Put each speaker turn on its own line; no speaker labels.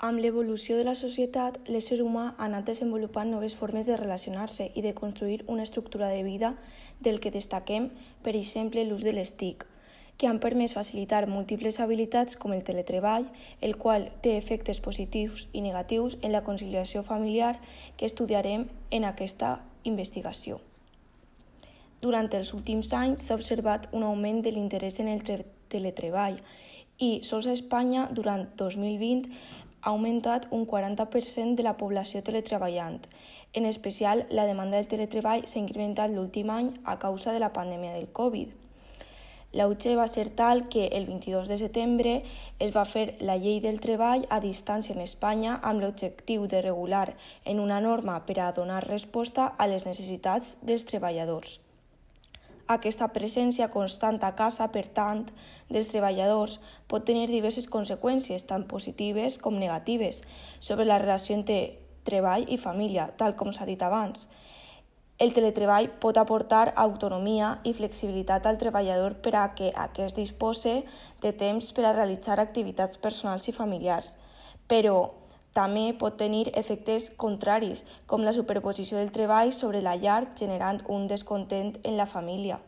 Amb l'evolució de la societat, l'ésser humà ha anat desenvolupant noves formes de relacionar-se i de construir una estructura de vida del que destaquem, per exemple, l'ús de les TIC, que han permès facilitar múltiples habilitats com el teletreball, el qual té efectes positius i negatius en la conciliació familiar que estudiarem en aquesta investigació. Durant els últims anys s'ha observat un augment de l'interès en el teletreball i sols a Espanya, durant 2020, ha augmentat un 40% de la població teletreballant. En especial, la demanda del teletreball s'ha incrementat l'últim any a causa de la pandèmia del Covid. L'auge va ser tal que el 22 de setembre es va fer la llei del treball a distància en Espanya amb l'objectiu de regular en una norma per a donar resposta a les necessitats dels treballadors. Aquesta presència constant a casa, per tant, dels treballadors pot tenir diverses conseqüències, tant positives com negatives, sobre la relació entre treball i família, tal com s'ha dit abans. El teletreball pot aportar autonomia i flexibilitat al treballador per a que aquest dispose de temps per a realitzar activitats personals i familiars, però també pot tenir efectes contraris, com la superposició del treball sobre la llar, generant un descontent en la família.